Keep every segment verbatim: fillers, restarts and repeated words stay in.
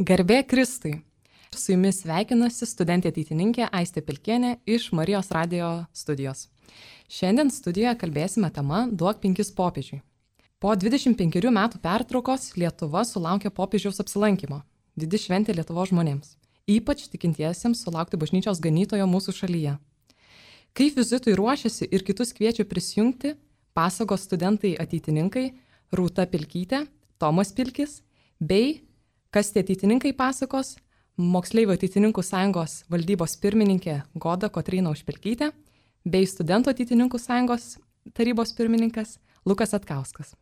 Garbė Kristui. Su jumis sveikinasi studentė ateitininkė Aistė Pilkienė iš Marijos radijo studijos. Šiandien studijoje kalbėsime tema Duok penkis popiežiui. Po dvidešimt penkerių metų pertraukos Lietuva sulaukė popiežiaus apsilankimo. Didi šventė Lietuvos žmonėms, ypač tikintiesiems sulaukti bažnyčios ganytojo mūsų šalyje. Kaip vizitui ruošiasi ir kitus kviečia prisijungti, pasakos studentai ateitininkai Rūta Pilkytė, Tomas Pilkis bei, kas tie ateitininkai pasakos, Moksleivių ateitininkų sąjungos valdybos pirmininkė Goda Kotryna Užpilkytė bei Studentų ateitininkų sąjungos tarybos pirmininkas Lukas Atkauskas.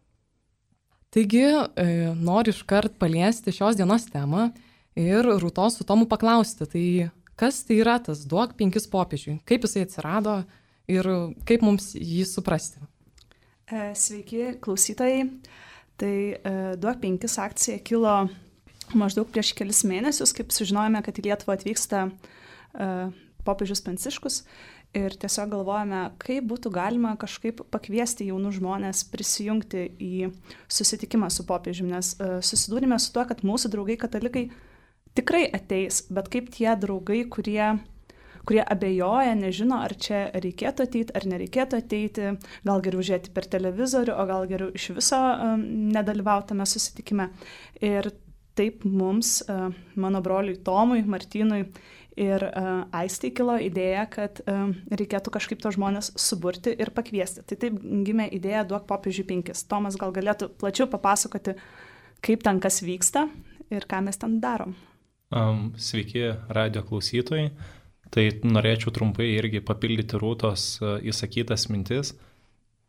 Taigi, e, noriu iškart paliesti šios dienos temą ir Rūtos su Tomu paklausti, tai kas tai yra tas Duok penkis popiežiui, kaip jisai atsirado ir kaip mums jį suprasti. Sveiki klausytojai, tai Duok penkis akcija kilo maždaug prieš kelis mėnesius, kaip sužinojome, kad į Lietuvą atvyksta uh, popiežius Pranciškus ir tiesiog galvojame, kaip būtų galima kažkaip pakviesti jaunus žmonės prisijungti į susitikimą su popiežiumi, nes uh, susidūrėme su tuo, kad mūsų draugai katalikai tikrai ateis, bet kaip tie draugai, kurie, kurie abejoja, nežino, ar čia reikėtų ateiti, ar nereikėtų ateiti, gal geriau žiūrėti per televizorių, o gal geriau iš viso um, nedalyvautame susitikime. Ir taip mums, mano broliui Tomui, Martynui ir Aistai kilo idėja, kad reikėtų kažkaip to žmonės suburti ir pakviesti. Tai taip gimė idėja Duok popiežiui penkis. Tomas gal galėtų plačiau papasakoti, kaip ten kas vyksta ir ką mes ten darom. Um, sveiki radio klausytojai. Tai norėčiau trumpai irgi papildyti Rūtos įsakytas mintis.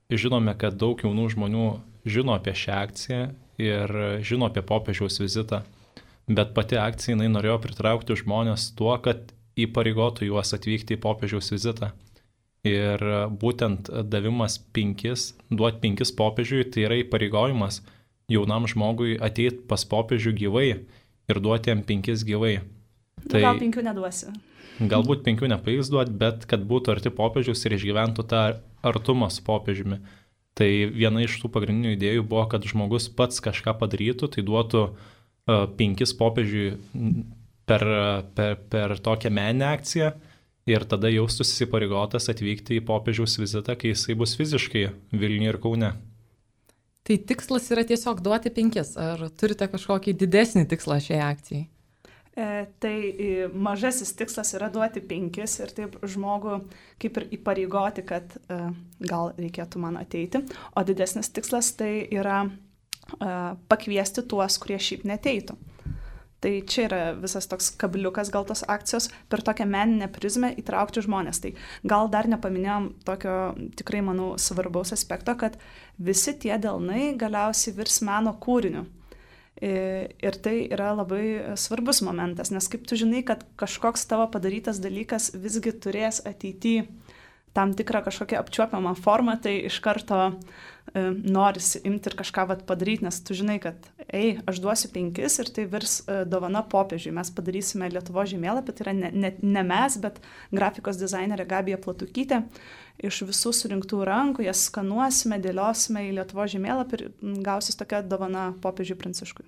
Žinome, kad daug jaunų žmonių žino apie šią akciją ir žino apie popiežiaus vizitą, bet pati akcija jinai norėjo pritraukti žmonės tuo, kad įpareigotų juos atvykti į popiežiaus vizitą. Ir būtent davimas penkis, duoti penkis popiežiui, tai yra įpareigojimas jaunam žmogui ateiti pas popiežių gyvai ir duoti jam penkis gyvai. Tai gal penkių neduosiu. Galbūt penkių nepavyks duoti, bet kad būtų arti popiežiaus ir išgyventų tą artumą su popiežiumi. Tai viena iš tų pagrindinių idėjų buvo, kad žmogus pats kažką padarytų, tai duotų uh, penkis popiežiui per, per, per tokią meninę akciją ir tada jaustųsi įsipareigotas atvykti į popiežiaus vizitą, kai jisai bus fiziškai Vilniuje ir Kaune. Tai tikslas yra tiesiog duoti penkis, ar turite kažkokį didesnį tikslą šiai akcijai? E, tai mažasis tikslas yra duoti penkis ir taip žmogų kaip ir įpareigoti, kad e, gal reikėtų man ateiti. O didesnis tikslas tai yra e, pakviesti tuos, kurie šiaip neteitų. Tai čia yra visas toks kabliukas gal tos akcijos per tokią meninę prizmę įtraukti žmonės. Tai gal dar nepaminėjom tokio tikrai, manau, svarbaus aspekto, kad visi tie delnai galiausiai virs meno kūriniu. Ir tai yra labai svarbus momentas, nes kaip tu žinai, kad kažkoks tavo padarytas dalykas visgi turės ateityje tam tikrą kažkokią apčiuopiamą formą, tai iš karto e, norisi imti ir kažką vat padaryti, nes tu žinai, kad ei, aš duosiu penkis ir tai virs e, dovana popiežiui. Mes padarysime Lietuvos žemėlapį, tai yra ne, ne, ne mes, bet grafikos dizainerė Gabija Platukytė. Iš visų surinktų rankų jas skanuosime, dėliosime į Lietuvos žemėlapį ir gausis tokia dovana popiežiui Pranciškui.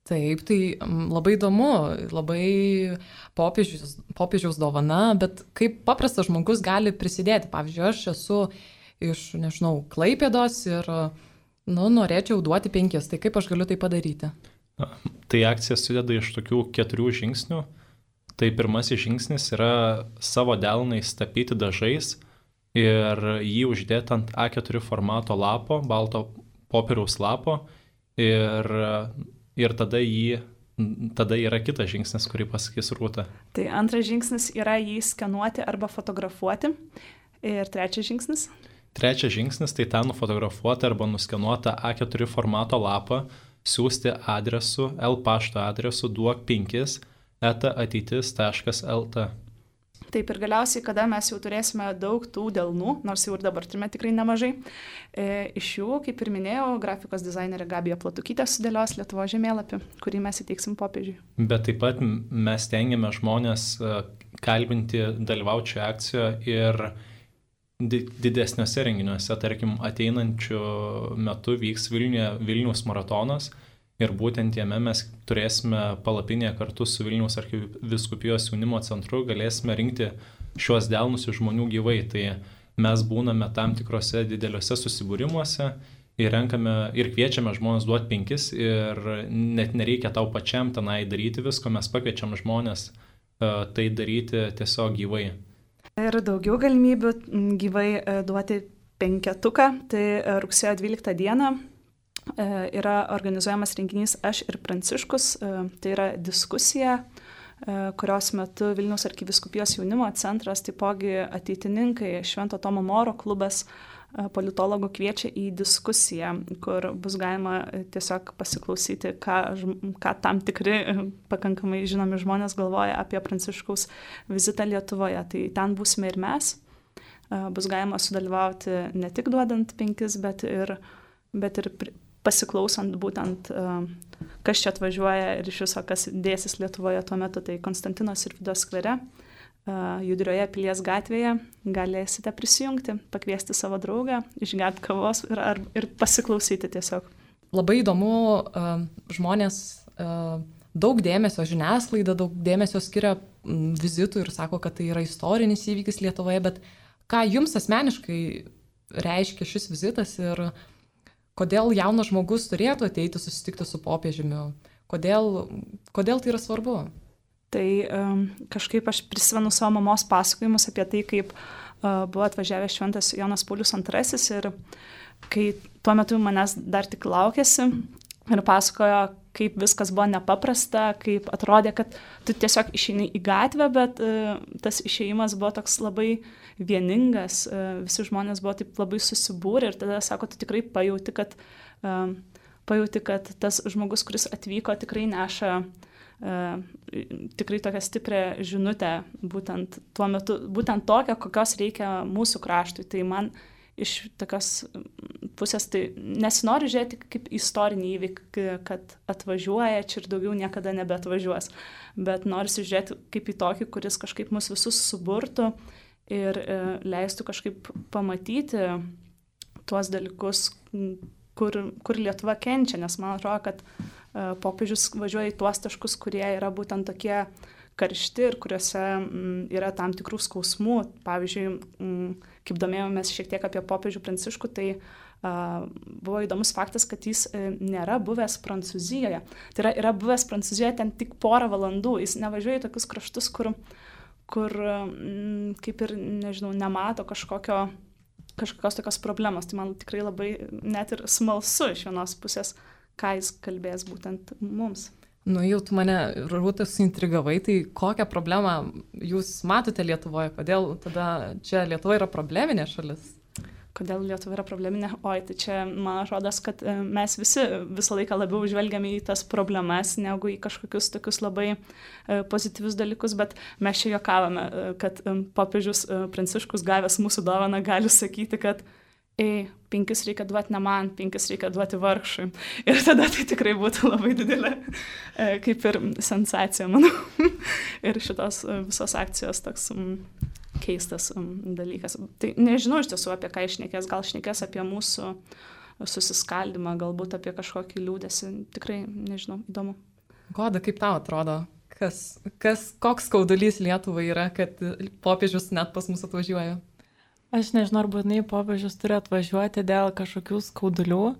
Taip, tai labai įdomu, labai popiežiaus, popiežiaus dovana, bet kaip paprastas žmogus gali prisidėti. Pavyzdžiui, aš esu iš, nežinau, Klaipėdos ir nu, norėčiau duoti penkis, tai kaip aš galiu tai padaryti? Tai akcija sudeda iš tokių keturių žingsnių. Tai pirmasis žingsnis yra savo delnais tapyti dažais ir jį uždėti ant A keturi formato lapo, balto popieriaus lapo ir Ir tada, jį, tada yra kitas žingsnis, kurį pasakys Rūta. Tai antras žingsnis yra jį skenuoti arba fotografuoti. Ir trečias žingsnis? Trečias žingsnis tai tą nufotografuoti arba nuskenuotą A keturi formato lapą siūsti adresu, L pašto adresu duok penkis eta ateitis taškas el t. Taip ir galiausiai, kada mes jau turėsime daug tų delnų, nors jau ir dabar turime tikrai nemažai, e, iš jų, kaip ir minėjau, grafikos dizainerė Gabija Platukytė sudėlios Lietuvos žemėlapį, kurį mes įteiksim popiežiui. Bet taip pat mes tengiame žmonės kalbinti, dalyvauti šioje akcijoje ir didesniuose renginiuose, tarkim, ateinančiu metu vyks Vilniuje Vilniaus maratonas ir būtent jame mes turėsime palapinėje kartu su Vilniaus arkivyskupijos jaunimo centru, galėsime rinkti šiuos delnus iš žmonių gyvai. Tai mes būname tam tikrose dideliuose susibūrimuose ir renkame ir kviečiame žmonės duoti penkis ir net nereikia tau pačiam tenai daryti visko, mes pakviečiam žmonės uh, tai daryti tiesiog gyvai. Ir daugiau galimybių gyvai duoti penketuką, tai rugsėjo dvyliktą dieną yra organizuojamas renginys Aš ir Pranciškus, tai yra diskusija, kurios metu Vilniaus arkivyskupijos jaunimo centras, taipogi ateitininkai, Švento Tomo Moro klubas, politologų kviečia į diskusiją, kur bus galima tiesiog pasiklausyti, ką, ką tam tikri pakankamai žinomi žmonės galvoja apie Pranciškaus vizitą Lietuvoje. Tai ten būsime ir mes. Bus galima sudalyvauti ne tik duodant penkis, bet ir, bet ir pasiklausant būtent, kas čia atvažiuoja ir iš viso, kas dėsis Lietuvoje tuo metu. Tai Konstantino Sirvydo skvere, Judrioje Pilies gatvėje galėsite prisijungti, pakviesti savo draugą, išgerti kavos ir, ar, ir pasiklausyti tiesiog. Labai įdomu, žmonės daug dėmesio, žiniasklaida daug dėmesio skiria vizitui ir sako, kad tai yra istorinis įvykis Lietuvoje, bet ką jums asmeniškai reiškia šis vizitas ir kodėl jaunas žmogus turėtų ateiti susitikti su popiežiumi, kodėl, kodėl tai yra svarbu? Tai um, kažkaip aš prisimenu savo mamos pasakojimus apie tai, kaip uh, buvo atvažiavęs šventas Jonas Paulius antrasis ir kai tuo metu manęs dar tik laukėsi ir pasakojo, kaip viskas buvo nepaprasta, kaip atrodė, kad tu tiesiog išeini į gatvę, bet uh, tas išėjimas buvo toks labai vieningas, uh, visi žmonės buvo taip labai susibūrę ir tada, sako, tu tikrai pajauti, kad, uh, pajauti, kad tas žmogus, kuris atvyko, tikrai neša Uh, tikrai tokią stiprią žinutę, būtent tuo metu, būtent tokią, kokios reikia mūsų kraštui. Tai man iš tokios pusės tai nesinori žiūrėti kaip istorinį įvykį, kad atvažiuoja čia ir daugiau niekada nebeatvažiuos, bet norisi žiūrėti kaip į tokį, kuris kažkaip mus visus suburtų ir uh, leistų kažkaip pamatyti tuos dalykus, kur, kur Lietuva kenčia, nes man atrodo, kad popiežius važiuoja į tuos taškus, kurie yra būtent tokie karšti ir kuriuose m, yra tam tikrų skausmų. Pavyzdžiui, m, kaip domėjomės šiek tiek apie popiežių Pranciškų, tai a, buvo įdomus faktas, kad jis a, nėra buvęs Prancūzijoje. Tai yra, yra buvęs Prancūzijoje ten tik porą valandų. Jis nevažiuoja į tokius kraštus, kur, kur m, kaip ir, nežinau, nemato kažkokio, kažkokios tokios problemos. Tai man tikrai labai net ir smalsu iš vienos pusės, ką jis kalbės būtent mums. Nu, jau tu mane, Rūta, suintrigavai, tai kokią problemą jūs matote Lietuvoje? Kodėl tada čia Lietuva yra probleminė šalis? Kodėl Lietuva yra probleminė? Oi, tai čia man atrodo, kad mes visi visą laiką labiau žvelgiame į tas problemas, negu į kažkokius tokius labai pozityvius dalykus, bet mes čia juokavome, kad popiežius Pranciškus gavęs mūsų dovaną gali sakyti, kad ei, penkis reikia duoti ne man, penkis reikia duoti vargšui. Ir tada tai tikrai būtų labai didelė, kaip ir sensacija, manau. Ir šitos visos akcijos toks um, keistas um, dalykas. Tai nežinau iš tiesų, apie ką išnekės, gal šnekės apie mūsų susiskaldimą, galbūt apie kažkokį liūdesį. Tikrai nežinau, įdomu. Goda, kaip tau atrodo? Kas, kas, koks skaudulys Lietuvai yra, kad popiežius net pas mus atvažiuoja? Aš nežinau, ar būtinai popiežius turi atvažiuoti dėl kažkokių skaudulių,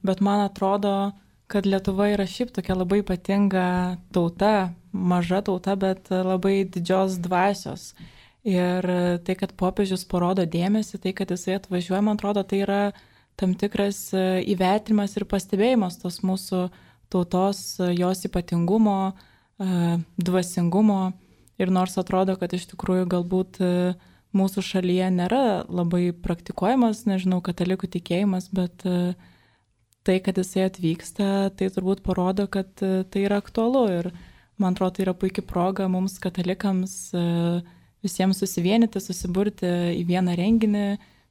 bet man atrodo, kad Lietuva yra šiaip tokia labai ypatinga tauta, maža tauta, bet labai didžios dvasios. Ir tai, kad popiežius parodo dėmesį, tai, kad jisai atvažiuoja, man atrodo, tai yra tam tikras įvertinimas ir pastebėjimas tos mūsų tautos, jos ypatingumo, dvasingumo. Ir nors atrodo, kad iš tikrųjų galbūt mūsų šalyje nėra labai praktikuojamas, nežinau, katalikų tikėjimas, bet tai, kad jisai atvyksta, tai turbūt parodo, kad tai yra aktualu. Ir man atrodo, tai yra puikia proga mums katalikams visiems susivienyti, susiburti į vieną renginį,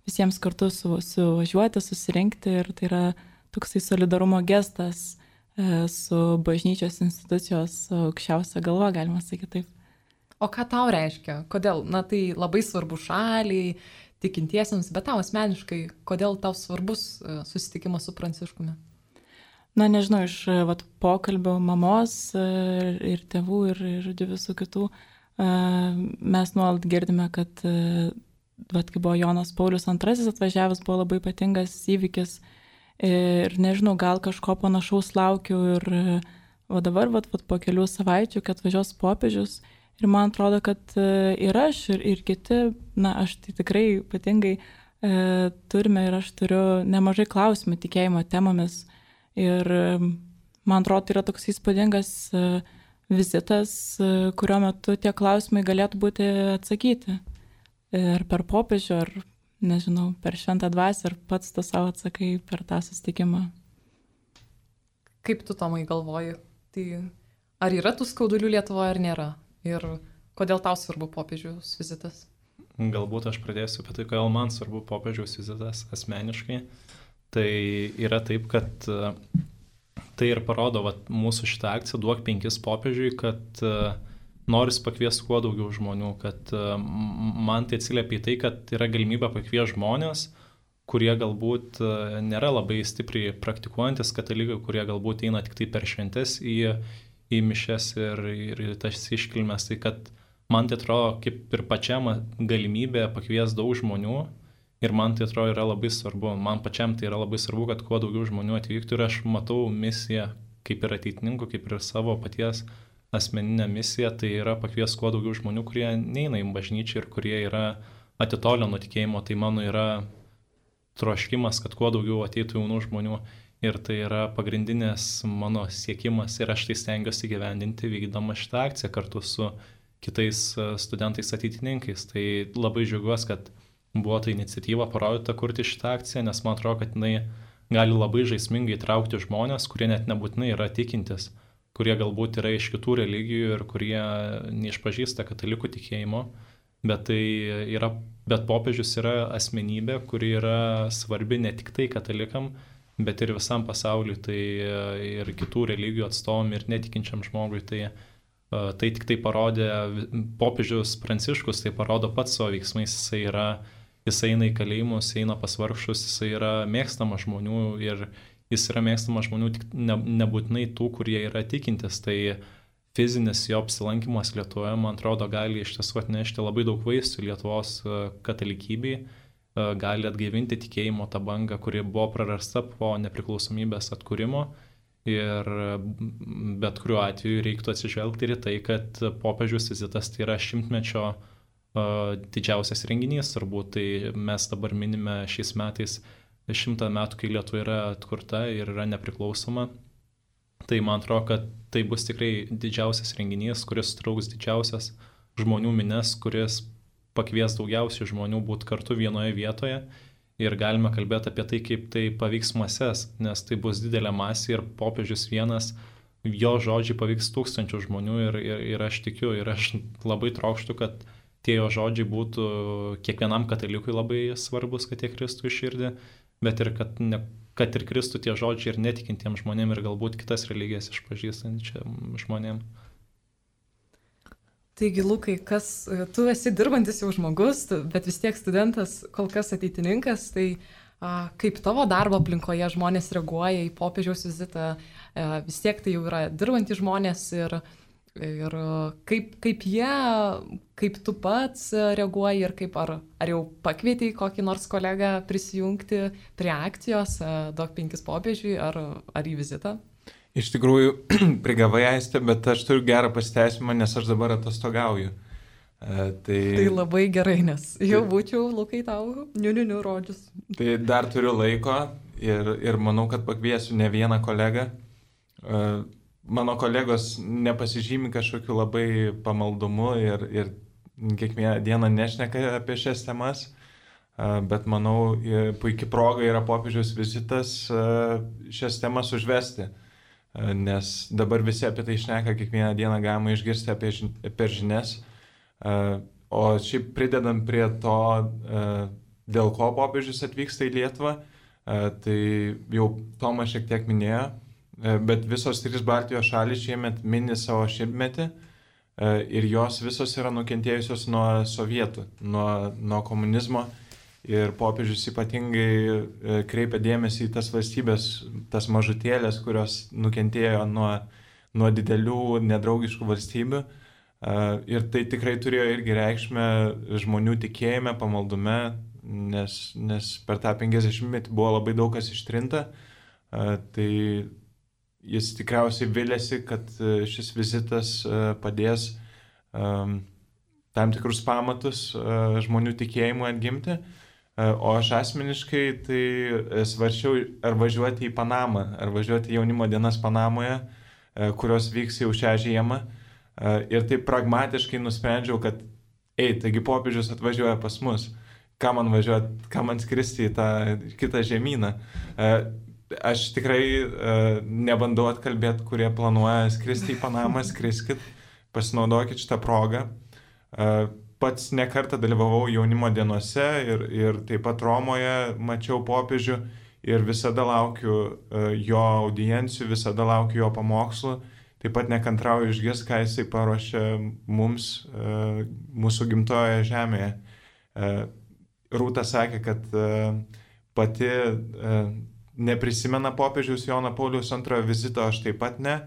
visiems kartu su, suvažiuoti, susirinkti. Ir tai yra toksai solidarumo gestas su bažnyčios institucijos aukščiausia galva, galima sakyti taip. O ką tau reiškia? Kodėl? Na, tai labai svarbu šaliai, tikintiesiems, bet tau asmeniškai, kodėl tau svarbus susitikimas su Pranciškumi? na nežinau, iš vat, pokalbio mamos ir, ir tėvų ir, ir visų kitų, mes nuolat girdime, kad vat, kai buvo Jonas Paulius antrasis atvažiavęs, buvo labai ypatingas įvykis ir nežinau, gal kažko panašaus laukiu ir o dabar vat, vat, po kelių savaičių, kad atvažiuos popiežius ir man atrodo, kad ir aš ir, ir kiti, na aš tai tikrai ypatingai e, turime ir aš turiu nemažai klausimų tikėjimo temomis ir man atrodo, tai yra toks įspūdingas e, vizitas, e, kurio metu tie klausimai galėtų būti atsakyti. Ir per popiežių, ar, nežinau, per šventą dvasią, ar pats to savo atsakai per tą susitikimą. Kaip tu, Tomai, galvoji? Tai ar yra tų skaudulių Lietuvoje, ar nėra? Ir kodėl tau svarbu popiežiaus vizitas? Galbūt aš pradėsiu apie tai, kodėl man svarbu popiežiaus vizitas asmeniškai. Tai yra taip, kad tai ir parodo vat, mūsų šitą akciją Duok penkis popiežiui, kad noris pakviesti kuo daugiau žmonių, kad man tai atsiliepia į tai, kad yra galimybė pakviesti žmonės, kurie galbūt nėra labai stipriai praktikuojantis katalikai, kurie galbūt eina tik tai per šventes į, į mišes ir, ir tas iškilmes. Tai kad man tai atrodo kaip ir pačiam galimybė pakviesti daug žmonių ir man tai atrodo yra labai svarbu. Man pačiam tai yra labai svarbu, kad kuo daugiau žmonių atvyktų ir aš matau misiją kaip ir ateitininkų, kaip ir savo paties asmeninę misiją, tai yra pakviesti kuo daugiau žmonių, kurie neina į bažnyčią ir kurie yra atitolę nuo tikėjimo. Tai mano yra troškimas, kad kuo daugiau ateitų jaunų žmonių ir tai yra pagrindinės mano siekimas ir aš tai stengiuosi įgyvendinti vykdama šitą akciją kartu su kitais studentais ateitininkais. Tai labai džiaugiuosi, kad buvo ta iniciatyva parodyta kurti šitą akciją, nes man atrodo, kad jinai gali labai žaismingai traukti žmonės, kurie net nebūtinai yra tikintis, kurie galbūt yra iš kitų religijų ir kurie neišpažįsta katalikų tikėjimo, bet, tai yra, bet popiežius yra asmenybė, kuri yra svarbi ne tik tai katalikam, bet ir visam pasauliui, tai ir kitų religijų atstovom ir netikinčiam žmogui. Tai, tai tik tai parodė, popiežius Pranciškus tai parodo pats savo veiksmais, jisai, yra, jisai eina į kalėjimus, eina pas vargšus, jisai yra mėgstamas žmonių ir jis yra mėgstamas žmonių tik ne, nebūtinai tų, kurie yra tikintis. Tai fizinis jo apsilankimas Lietuvoje, man atrodo, gali iš tiesų atnešti labai daug vaisių Lietuvos katalikybei, gali atgaivinti tikėjimo tą bangą, kuri buvo prarasta po nepriklausomybės atkūrimo. Ir bet kuriuo atveju reiktų atsižvelgti ir į tai, kad popiežiaus vizitas tai yra šimtmečio didžiausias renginys, turbūt. Tai mes dabar minime šiais metais šimtą metų, kai Lietuva yra atkurta ir yra nepriklausoma. Tai man atrodo, kad tai bus tikrai didžiausias renginys, kuris trauks didžiausias žmonių mines, kuris pakvies daugiausiai žmonių būti kartu vienoje vietoje. Ir galime kalbėti apie tai, kaip tai paveiks mases, nes tai bus didelė masė ir popiežius vienas, jo žodžiai paveiks tūkstančių žmonių ir, ir, ir aš tikiu ir aš labai trokštu, kad tie jo žodžiai būtų kiekvienam katalikui labai svarbus, kad jie kristų į širdį, bet ir kad, ne, kad ir kristų tie žodžiai ir netikintiem žmonėm ir galbūt kitas religijas išpažįstančiam žmonėm. Taigi, Lukai, kas, tu esi dirbantis jau žmogus, bet vis tiek studentas, kol kas ateitininkas, tai a, kaip tavo darbo aplinkoje žmonės reaguoja į popiežiaus vizitą, a, vis tiek tai jau yra dirbantys žmonės ir Ir kaip, kaip jie, kaip tu pats reaguoji ir kaip ar, ar jau pakvietei kokį nors kolegą prisijungti prie akcijos Duok penkis popiežiui ar, ar į vizitą? Iš tikrųjų, prigavai Aistė, bet aš turiu gerą pasiteisimą, nes aš dabar atostogauju. E, tai... tai labai gerai, nes jau būčiau, Lukai, tau niu-niu-niu rodžius. Tai dar turiu laiko ir, ir manau, kad pakviesiu ne vieną kolegą. E, Mano kolegos nepasižymi kažkokiu labai pamaldumu ir, ir kiekvieną dieną nešneka apie šias temas, bet manau, puikia proga yra popiežiaus vizitas šias temas užvesti, nes dabar visi apie tai šneka, kiekvieną dieną galima išgirsti apie, per žinias, o šiaip pridedant prie to, dėl ko popiežius atvyksta į Lietuvą, tai jau Tomas šiek tiek minėjo, bet visos trys Baltijos šalys šiemet mini savo šimtmetį ir jos visos yra nukentėjusios nuo sovietų, nuo, nuo komunizmo ir popiežius ypatingai kreipia dėmesį į tas valstybės, tas mažutėlės, kurios nukentėjo nuo, nuo didelių nedraugiškų valstybių. Ir tai tikrai turėjo irgi reikšmę žmonių tikėjime, pamaldume, nes, nes per tą penkiasdešimtmetį buvo labai daug kas ištrinta. Tai jis tikriausiai vilėsi, kad šis vizitas padės tam tikrus pamatus žmonių tikėjimui atgimti. O aš asmeniškai tai svarčiau, ar važiuoti į Panamą, ar važiuoti į jaunimo dienas Panamoje, kurios vyks jau šią žiemą. Ir taip pragmatiškai nusprendžiau, kad ei, taigi popiežius atvažiuoja pas mus, ką man važiuoti, ką man skristi į tą kitą žemyną. Aš tikrai nebandau atkalbėti, kurie planuoja skristi į Panamą, skriskit, pasinaudokit šitą progą. Pats nekartą dalyvavau jaunimo dienose ir, ir taip pat Romoje mačiau popiežių ir visada laukiu jo audiencijų, visada laukiu jo pamokslų. Taip pat nekantrauju išgirsti, ką jisai paruošė mums, mūsų gimtojoje žemėje. Rūta sakė, kad pati neprisimena popiežiaus Jono Pauliaus antrojo vizito, aš taip pat ne,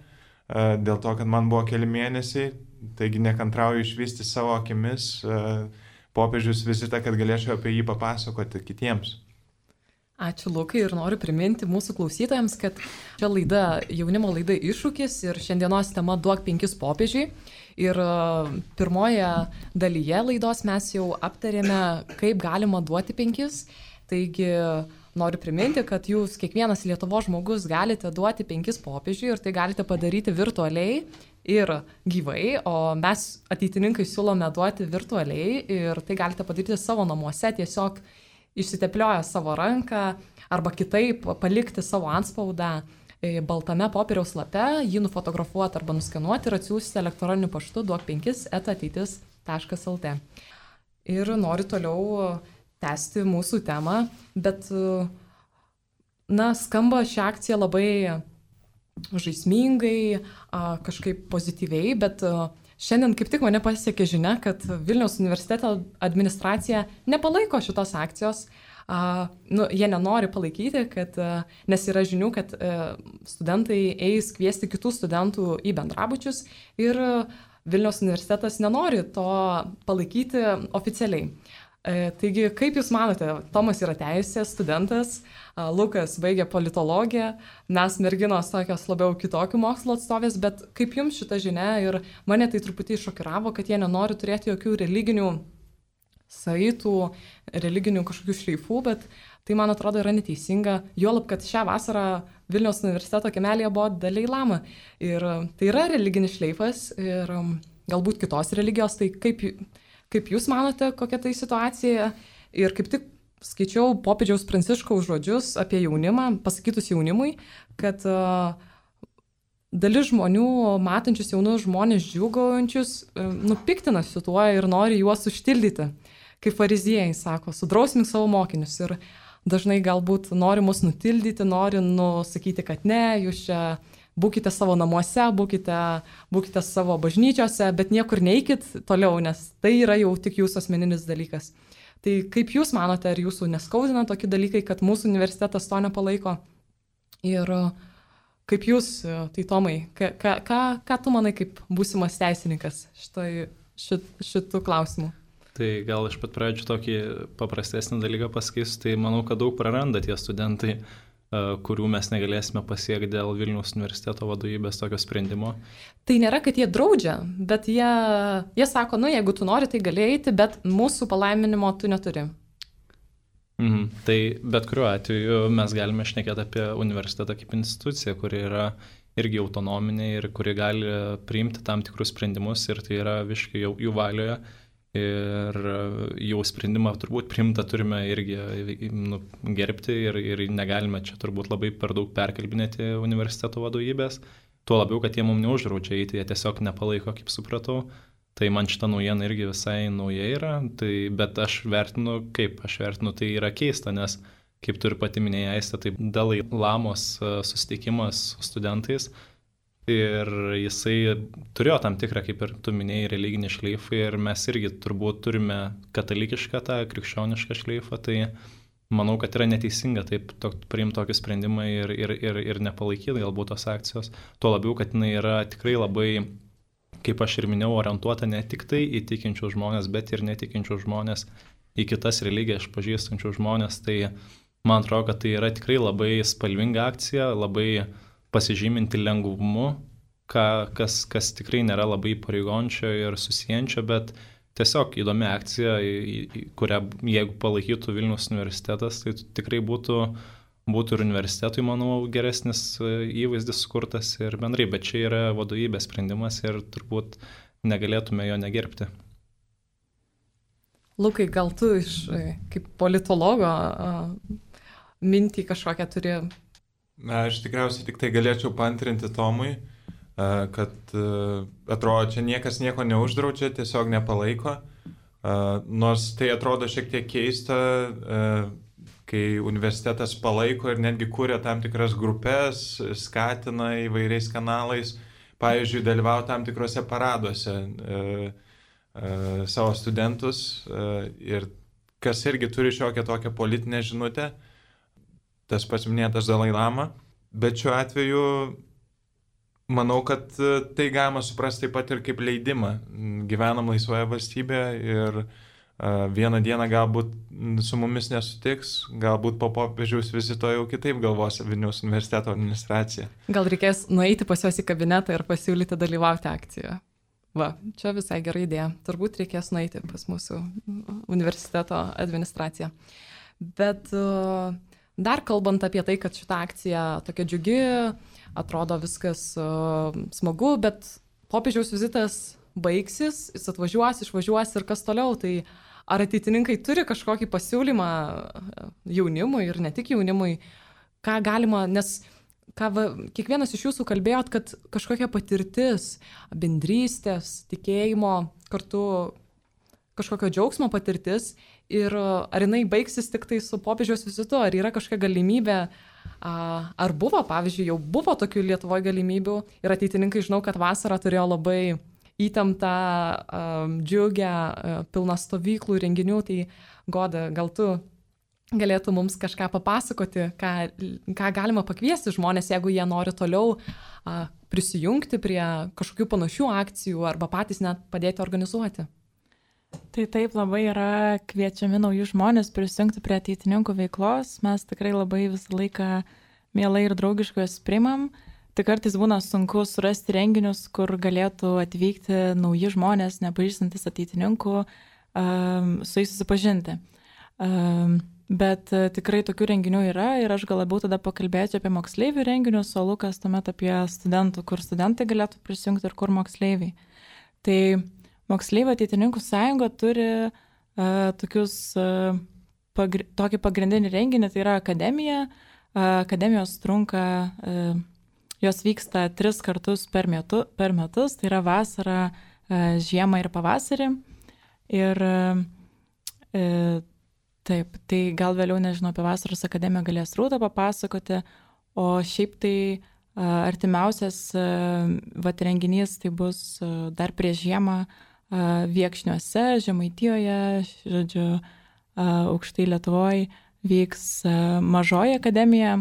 dėl to, kad man buvo keli mėnesiai. Taigi nekantrauju išvysti savo akimis popiežiaus vizitą, kad galėčiau apie jį papasakoti kitiems. Ačiū Lukai ir noriu priminti mūsų klausytojams, kad čia laida, jaunimo laida Iššūkis ir šiandienos tema Duok penkis popiežiui. Ir pirmoje dalyje laidos mes jau aptarėme, kaip galima duoti penkis. Taigi noriu priminti, kad jūs kiekvienas Lietuvos žmogus galite duoti penkis popiežiui ir tai galite padaryti virtualiai ir gyvai, o mes ateitininkai siūlome duoti virtualiai ir tai galite padaryti savo namuose, tiesiog išsiteplioję savo ranką arba kitaip palikti savo antspaudą baltame popieriaus lape, jį nufotografuoti arba nuskenuoti ir atsiųsti elektroniniu paštu duok penkis eta ateitis taškas el te. Ir noriu toliau tęsti mūsų temą, bet, na, skamba ši akcija labai žaismingai, kažkaip pozityviai, bet šiandien kaip tik mane pasiekė žinia, kad Vilniaus universiteto administracija nepalaiko šitos akcijos. Nu, jie nenori palaikyti, kad, nes yra žinių, kad studentai eis kviesti kitų studentų į bendrabučius ir Vilniaus universitetas nenori to palaikyti oficialiai. Taigi, kaip Jūs manote, Tomas yra teisės studentas, Lukas baigė politologiją, mes merginos tokios labiau kitokių mokslo atstovės, bet kaip Jums šita žinia ir mane tai truputį šokiravo, kad jie nenori turėti jokių religinių saitų, religinių kažkokių šleifų, bet tai, man atrodo, yra neteisinga, juolab, kad šią vasarą Vilniaus universiteto kiemelėje buvo Dalai Lama ir tai yra religinis šleifas ir galbūt kitos religijos, tai kaip... Kaip Jūs manote, kokia tai situacija? Ir kaip tik skaičiau popiežiaus Pranciškaus žodžius apie jaunimą, pasakytus jaunimui, kad uh, dalis žmonių, matančius jaunus žmonės džiūgaujančius, uh, nupiktinasi tuo ir nori juos užtildyti. Kaip fariziejai sako, sudrausmink savo mokinius. Ir dažnai galbūt nori mus nutildyti, nori nusakyti, kad ne, jūs čia... Būkite savo namuose, būkite, būkite savo bažnyčiose, bet niekur neikit toliau, nes tai yra jau tik jūsų asmeninis dalykas. Tai kaip Jūs manote, ar Jūsų neskaudina tokie dalykai, kad mūsų universitetas to nepalaiko? Ir kaip Jūs, tai Tomai, ką, ką, ką tu manai kaip būsimas teisininkas šitai, šit, šitų klausimų? Tai gal iš pat pradžių tokį paprastesnį dalyką pasakysiu, tai manau, kad daug praranda tie studentai, kurių mes negalėsime pasiekti dėl Vilniaus universiteto vadovybės tokio sprendimo. Tai nėra, kad jie draudžia, bet jie, jie sako, nu, jeigu tu nori, tai gali eiti, bet mūsų palaiminimo tu neturi. Mhm. Tai bet kuriuo atveju mes galime šnekėti apie universitetą kaip instituciją, kuri yra irgi autonominė ir kuri gali priimti tam tikrus sprendimus ir tai yra visiškai jau jų valioje. Ir jau sprendimą turbūt priimta turime irgi nu, gerbti ir, ir negalime čia turbūt labai per daug perkalbinėti universiteto vadovybės. Tuo labiau, kad jie mums neuždraudžia eiti, jie tiesiog nepalaiko, kaip supratau. Tai man šita naujiena irgi visai nauja yra, tai, bet aš vertinu, kaip aš vertinu, tai yra keista, nes kaip tu ir pati minėjai, Aiste, tai Dalai Lamos susitikimas su studentais, Ir jisai turėjo tam tikrą, kaip ir tu minėjai, religinį šleifą ir mes irgi turbūt turime katalikišką tą krikščionišką šleifą, tai manau, kad yra neteisinga taip to, priimti tokį sprendimą ir, ir, ir, ir nepalaikyti galbūt tos akcijos. Tuo labiau, kad jinai yra tikrai labai, kaip aš ir minėjau, orientuota ne tik tai į tikinčių žmonės, bet ir netikinčių žmonės, į kitas religijas pažįstančių žmonės. Tai man atrodo, kad tai yra tikrai labai spalvinga akcija, labai pasižyminti lengvumu, ką, kas, kas tikrai nėra labai pareigončio ir susijančio, bet tiesiog įdomi akcija, kurią jeigu palaikytų Vilniaus universitetas, tai tikrai būtų, būtų ir universitetui, manau, geresnis įvaizdis sukurtas ir bendrai, bet čia yra vadovybės sprendimas ir turbūt negalėtume jo negerbti. Lukai, gal tu iš kaip politologo mintį kažkokią turi? Na, aš tikriausiai tik tai galėčiau paantrinti Tomui, kad atrodo, čia niekas nieko neuždraudžia, tiesiog nepalaiko. Nors tai atrodo šiek tiek keista, kai universitetas palaiko ir netgi kūrė tam tikras grupės, skatina įvairiais kanalais, pavyzdžiui, dalyvauti tam tikrose paraduose savo studentus ir kas irgi turi šiokią tokią politinę žinutę. Tas pats minėtas Dalai Lama, bet šiuo atveju manau, kad tai galima suprasti taip pat ir kaip leidimą. Gyvenam laisvoje valstybėje ir vieną dieną galbūt su mumis nesutiks, galbūt po popiežiaus vizito jau kitaip galvos Vilniaus universiteto administracija. Gal reikės nueiti pas juos į kabinetą ir pasiūlyti dalyvauti akcijoje. Va, čia visai gera idėja. Turbūt reikės nueiti pas mūsų universiteto administraciją. Bet uh, dar kalbant apie tai, kad šita akcija tokia džiugi, atrodo viskas uh, smagu, bet popiežiaus vizitas baigsis, jis atvažiuos, išvažiuos ir kas toliau, tai ar ateitininkai turi kažkokį pasiūlymą jaunimui ir ne tik jaunimui, ką galima, nes ką va, kiekvienas iš jūsų kalbėjot, kad kažkokia patirtis, bendrystės, tikėjimo, kartu kažkokio džiaugsmo patirtis ir ar jinai baigsis tik tai su popiežiaus vizitu, ar yra kažkokia galimybė, ar buvo, pavyzdžiui, jau buvo tokių Lietuvoje galimybių ir ateitininkai, žinau, kad vasarą turėjo labai įtemptą, džiugę, pilną stovyklų renginių, tai Goda, gal tu galėtų mums kažką papasakoti, ką, ką galima pakviesti žmonės, jeigu jie nori toliau a, prisijungti prie kažkokių panašių akcijų arba patys net padėti organizuoti. Tai taip, labai yra kviečiami nauji žmonės prisijungti prie ateitininkų veiklos. Mes tikrai labai visą laiką mielai ir draugiškai juos priimam. Tik kartais būna sunku surasti renginius, kur galėtų atvykti nauji žmonės, nepažįstantis ateitininkų, um, su jais susipažinti. Um, bet uh, tikrai tokių renginių yra ir aš gal labiau tada pakalbėčiau apie moksleivių renginius, o Lukas tuomet apie studentų, kur studentai galėtų prisijungti ir kur moksleiviai. Tai Moksleivių ateitininkų sąjunga turi uh, tokius, uh, pagri tokį pagrindinį renginį, tai yra akademija. Uh, akademijos trunka, uh, jos vyksta tris kartus per, metu, per metus, tai yra vasarą, uh, žiemą ir pavasarį. Ir uh, uh, taip, tai gal vėliau, nežinau, apie vasaros akademiją galės Rūta papasakoti, o šiaip tai uh, artimiausias uh, vat renginys tai bus uh, dar prieš žiemą, Viekšniuose, Žemaitijoje, žodžiu, aukštai Lietuvoje vyks mažoji akademija,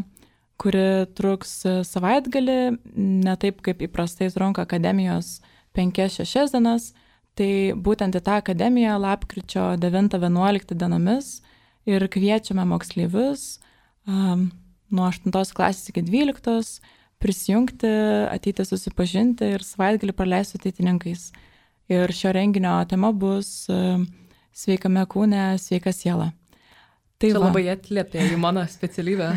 kuri truks savaitgalį, ne taip kaip įprastai trunka akademijos penkias šešias dienas, tai būtent į tą akademiją lapkričio devintą vienuoliktą dienomis ir kviečiame moksleivius um, nuo aštuntos klasės iki dvyliktos prisijungti, ateiti susipažinti ir savaitgalį praleisti su ateitininkais. Ir šio renginio tema bus uh, sveikame kūne, sveika siela. Tai čia va. Labai atliepia į mano specialybę.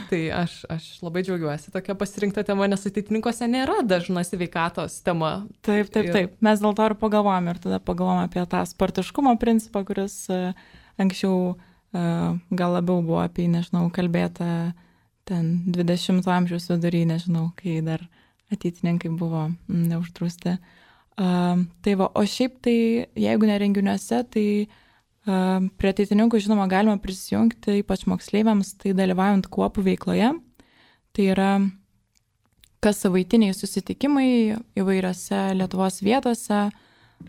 Tai aš, aš labai džiaugiuosi tokia pasirinkta tema, nes ateitininkuose nėra dažna sveikatos tema. Taip, taip, taip. Mes dėl to ir pagalvojame ir tada pagalvojame apie tą sportiškumo principą, kuris uh, anksčiau uh, gal labiau buvo apie, nežinau, kalbėta ten dvidešimto amžiaus vidury, nežinau, kai dar ateitininkai buvo mm, neuždrausti. Uh, tai va, o šiaip tai, jeigu ne renginiuose, tai uh, prie ateitininkų, žinoma, galima prisijungti, ypač moksleiviams, tai dalyvaujant kuopų veikloje. Tai yra kas savaitiniai susitikimai įvairiose Lietuvos vietose.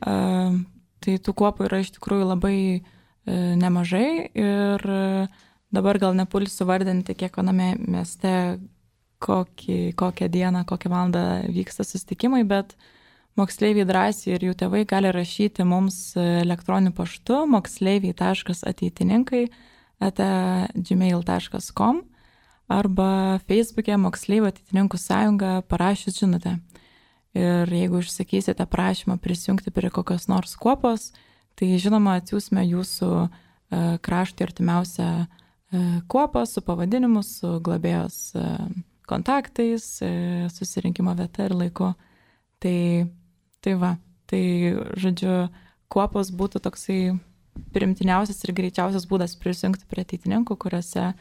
Tai tų kuopų yra iš tikrųjų labai nemažai ir dabar gal nepulsiu vardinti kiekviename mieste, kokį, kokią dieną, kokią valandą vyksta susitikimai, bet moksleiviai drąsiai ir jų tėvai gali rašyti mums elektroniniu paštu moksleiviai taškas ateitininkai eta gmail taškas com arba Facebook'e Moksleivių ateitininkų sąjunga parašius žinutę. Ir jeigu išsakysite prašymą prisijungti prie kokios nors kuopos, tai žinoma atsiųsime jūsų kraštui artimiausią kuopą su pavadinimu, su globėjos kontaktais, susirinkimo vieta ir laiku. Tai, tai va, tai žodžiu, kuopos būtų toksai primtiniausias ir greičiausias būdas prisijungti prie ateitininkų, kuriuose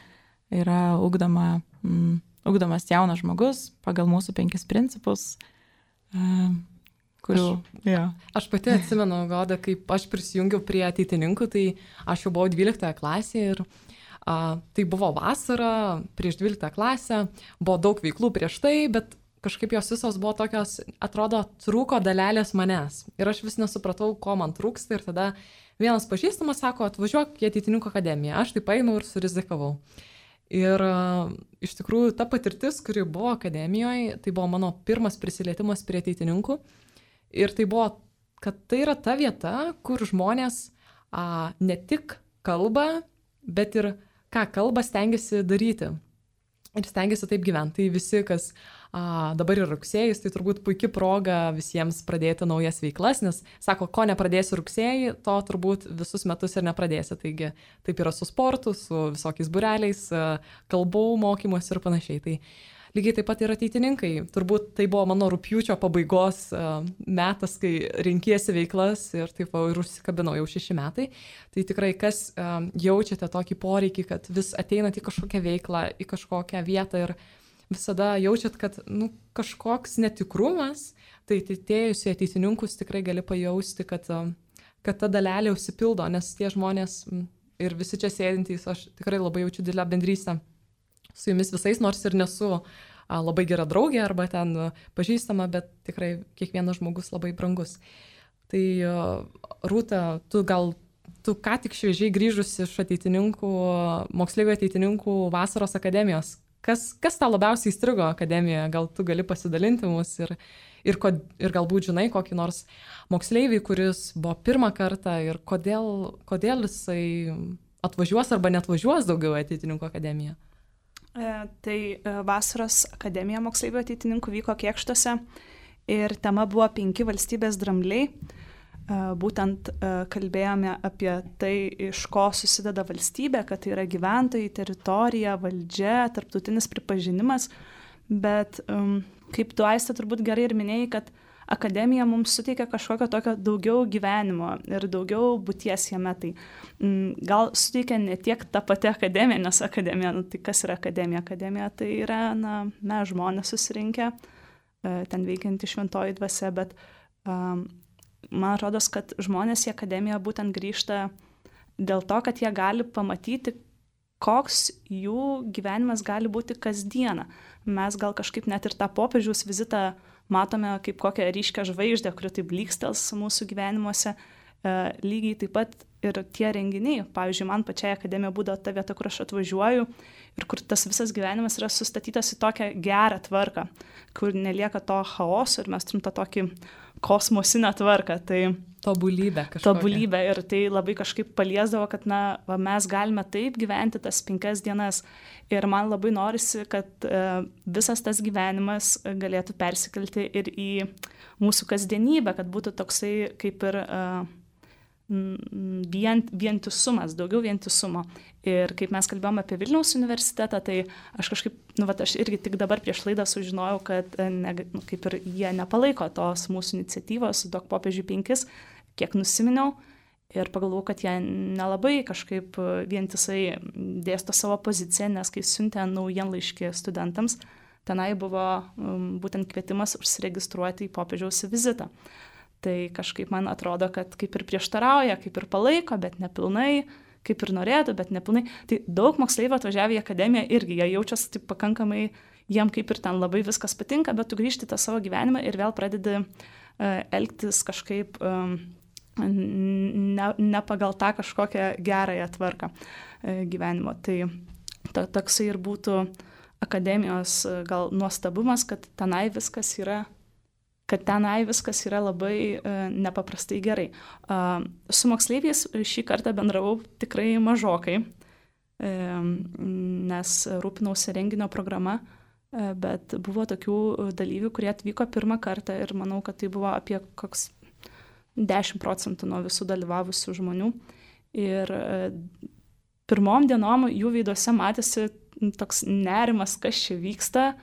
yra ugdoma, mm, ugdomas jaunas žmogus pagal mūsų penkis principus, kurių... Aš, ja. aš pati atsimenu, Goda, kaip aš prisijungiau prie ateitininkų, tai aš jau buvau dvyliktoje klasėje ir a, tai buvo vasara prieš dvyliktą klasę, buvo daug veiklų prieš tai, bet kažkaip jos visos buvo tokios, atrodo, trūko dalelės manęs. Ir aš vis nesupratau, ko man trūksta ir tada vienas pažįstamas sako, atvažiuok į ateitininkų akademiją. Aš tai paėmiau ir surizikavau. Ir uh, iš tikrųjų ta patirtis, kuri buvo akademijoje, tai buvo mano pirmas prisilietimas prie ateitininkų. Ir tai buvo, kad tai yra ta vieta, kur žmonės uh, ne tik kalba, bet ir ką kalba stengiasi daryti. Ir stengiasi taip gyventi. Tai visi, kas a, dabar yra rugsėjais, tai turbūt puikia proga visiems pradėti naujas veiklas, nes sako, ko nepradėsi rugsėjai, to turbūt visus metus ir nepradėsi. Taigi taip yra su sportu, su visokiais būreliais, kalbų mokymus ir panašiai. Tai lygiai taip pat ir ateitininkai. Turbūt tai buvo mano rugpjūčio pabaigos metas, kai rinkiesi veiklas ir taip ir užsikabinau jau šeši metai. Tai tikrai, kas jaučiate tokį poreikį, kad vis ateinat į kažkokią veiklą, į kažkokią vietą ir visada jaučiat, kad nu, kažkoks netikrumas, tai atėjus į ateitininkus tikrai gali pajausti, kad, kad ta dalelė užsipildo, nes tie žmonės ir visi čia sėdintys, aš tikrai labai jaučiu didelę bendrystę su jumis visais, nors ir nesu a, labai gera draugė arba ten a, pažįstama, bet tikrai kiekvienas žmogus labai brangus. Tai a, Rūta, tu gal, tu ką tik šviežiai grįžusi iš ateitininkų, moksleivių ateitininkų vasaros akademijos. Kas, kas tau labiausiai įstrigo akademijoje? Gal tu gali pasidalinti mus ir, ir, kod, ir galbūt žinai kokį nors moksleivį, kuris buvo pirmą kartą ir kodėl, kodėl jisai atvažiuos arba netvažiuos daugiau ateitininkų akademiją? E, tai e, vasaros akademija moksleivių ateitininkų vyko Kėkštuose ir tema buvo penki valstybės drambliai. E, būtent e, kalbėjome apie tai, iš ko susideda valstybė, kad tai yra gyventojai, teritorija, valdžia, tarptautinis pripažinimas, bet e, kaip tu, Aiste, turbūt gerai ir minėjai, kad akademija mums suteikia kažkokio tokio daugiau gyvenimo ir daugiau būties jame. Tai m, gal suteikia ne tiek ta pati akademija, nes akademija, nu, tai kas yra akademija? Akademija tai yra, na, mes žmonės susirinkę, e, ten veikianti šventoji dvasia, bet um, man atrodo, kad žmonės į akademiją būtent grįžta dėl to, kad jie gali pamatyti, koks jų gyvenimas gali būti kasdieną. Mes gal kažkaip net ir tą popiežiaus vizitą matome kaip kokią ryškę žvaigždę, kuri taip blykstels mūsų gyvenimuose. E, lygiai taip pat ir tie renginiai. Pavyzdžiui, man pačiai akademija būdavo ta vieta, kur aš atvažiuoju ir kur tas visas gyvenimas yra sustatytas į tokią gerą tvarką, kur nelieka to chaoso ir mes turim tą tokį kosmosinę tvarką. Tai tobulybę kažkokią. Tobulybę ir tai labai kažkaip paliesdavo, kad na, va, mes galime taip gyventi tas penkias dienas. Ir man labai norisi, kad e, visas tas gyvenimas galėtų persikelti ir į mūsų kasdienybę, kad būtų toksai kaip ir e, vien, vientisumas, daugiau vientisumo. Ir kaip mes kalbėjome apie Vilniaus universitetą, tai aš kažkaip, nu, va, aš irgi tik dabar prieš laidą sužinojau, kad ne, nu, kaip ir jie nepalaiko tos mūsų iniciatyvos Duok popiežiui penkis, kiek nusiminiau. Ir pagalvojau, kad jie nelabai kažkaip vientisai dėsto savo poziciją, nes kai siuntė naujienlaiškį studentams, tenai buvo um, būtent kvietimas užsiregistruoti į popiežiaus vizitą. Tai kažkaip man atrodo, kad kaip ir prieštarauja, kaip ir palaiko, bet nepilnai, kaip ir norėtų, bet nepilnai. Tai daug moksleivių atvažiavę į akademiją irgi, jie jaučiasi taip pakankamai jiem kaip ir ten labai viskas patinka, bet tu grįžti tą savo gyvenimą ir vėl pradedi elgtis kažkaip ne, ne pagal tą kažkokią gerąją tvarką gyvenimo. Tai to, toksai ir būtų akademijos gal nuostabumas, kad tenai viskas yra kad tenai viskas yra labai uh, nepaprastai gerai. Uh, su moksleiviais šį kartą bendravau tikrai mažokai, uh, nes rūpinausi renginio programa, uh, bet buvo tokių dalyvių, kurie atvyko pirmą kartą ir manau, kad tai buvo apie koks dešimt procentų nuo visų dalyvavusių žmonių. Ir uh, pirmom dienom jų veiduose matėsi toks nerimas, kas čia vyksta,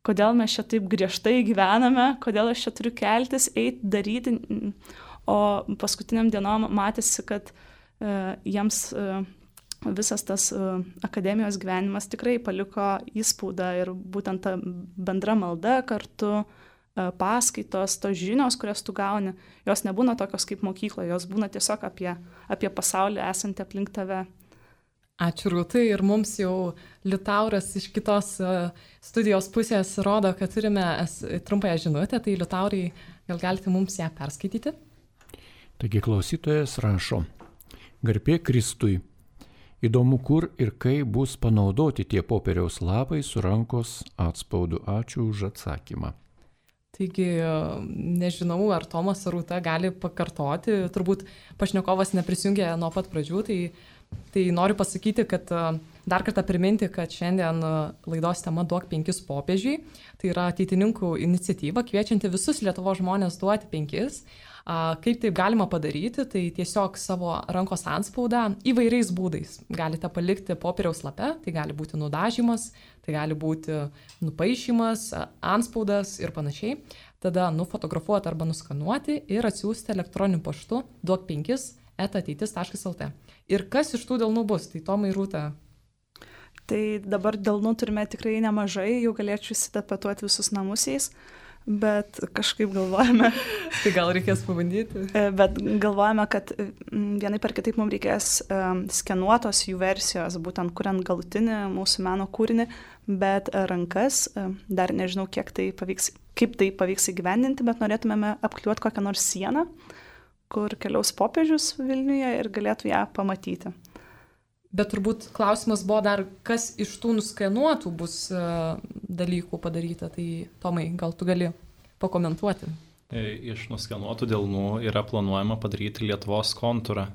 kodėl mes čia taip griežtai gyvename, kodėl aš čia turiu keltis, eiti, daryti. O paskutiniam dienom matėsi, kad uh, jiems uh, visas tas uh, akademijos gyvenimas tikrai paliko įspaudą ir būtent ta bendra malda kartu, uh, paskaitos, tos žinios, kurias tu gauni, jos nebūna tokios kaip mokykloje, jos būna tiesiog apie, apie pasaulį esantį aplink tave. Ačiū Rūtai ir mums jau Liutauras iš kitos studijos pusės rodo, kad turime trumpąją žinutę, tai Liutaurai, gal galite mums ją perskaityti? Taigi klausytojas rašo: Garbė Kristui, įdomu kur ir kaip bus panaudoti tie popieriaus lapai su rankos atspaudu. Ačiū už atsakymą. Taigi, nežinau, ar Tomas ar Rūta gali pakartoti, turbūt pašnekovas neprisijungė nuo pat pradžių, tai Tai noriu pasakyti, kad dar kartą priminti, kad šiandien laidos tema Duok penkis popiežiui. Tai yra ateitininkų iniciatyva, kviečianti visus Lietuvos žmonės duoti penkis. Kaip taip galima padaryti, tai tiesiog savo rankos antspaudą įvairiais būdais. Galite palikti popieriaus lape, tai gali būti nudažymas, tai gali būti nupaišymas, antspaudas ir panašiai. Tada nufotografuoti arba nuskanuoti ir atsiųsti elektroniniu paštu duok penkis eta ateitis taškas lt. Ir kas iš tų delnų bus? Tai Tomai, Rūta. Tai dabar delnų turime tikrai nemažai, jau galėčiau įsitapetuoti visus namus jais, bet kažkaip galvojame. Tai gal reikės pabandyti? Bet galvojame, kad vienai per kitaip mums reikės skenuotos jų versijos, būtent kuriant galutinį mūsų meno kūrinį, bet rankas, dar nežinau, kiek tai pavyks, kaip tai pavyks įgyvendinti, bet norėtumėme apkliuoti kokią nors sieną, kur keliaus popiežius Vilniuje ir galėtų ją pamatyti. Bet turbūt klausimas buvo dar, kas iš tų nuskenuotų bus uh, dalykų padaryta. Tai Tomai, gal tu gali pakomentuoti? Iš nuskenuotų delnų yra planuojama padaryti Lietuvos kontūrą.